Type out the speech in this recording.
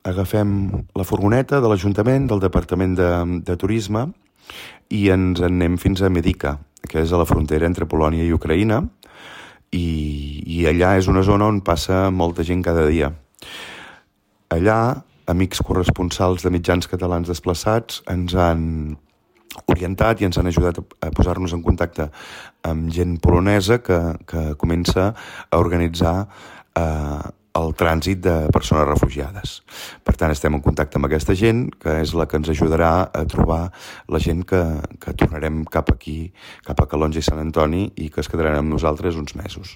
agafem la furgoneta de l'Ajuntament, del Departament de Turisme, i ens en anem fins a Medica, que és a la frontera entre Polònia i Ucraïna, i allà és una zona on passa molta gent cada dia. Allà, amics corresponsals de mitjans catalans desplaçats ens han orientat i ens han ajudat a posar-nos en contacte amb gent polonesa que comença a organitzar el trànsit de persones refugiades. Per tant, estem en contacte amb aquesta gent, que és la que ens ajudarà a trobar la gent que tornarem cap aquí, cap a Calonge i Sant Antoni, i que es quedaran amb nosaltres uns mesos.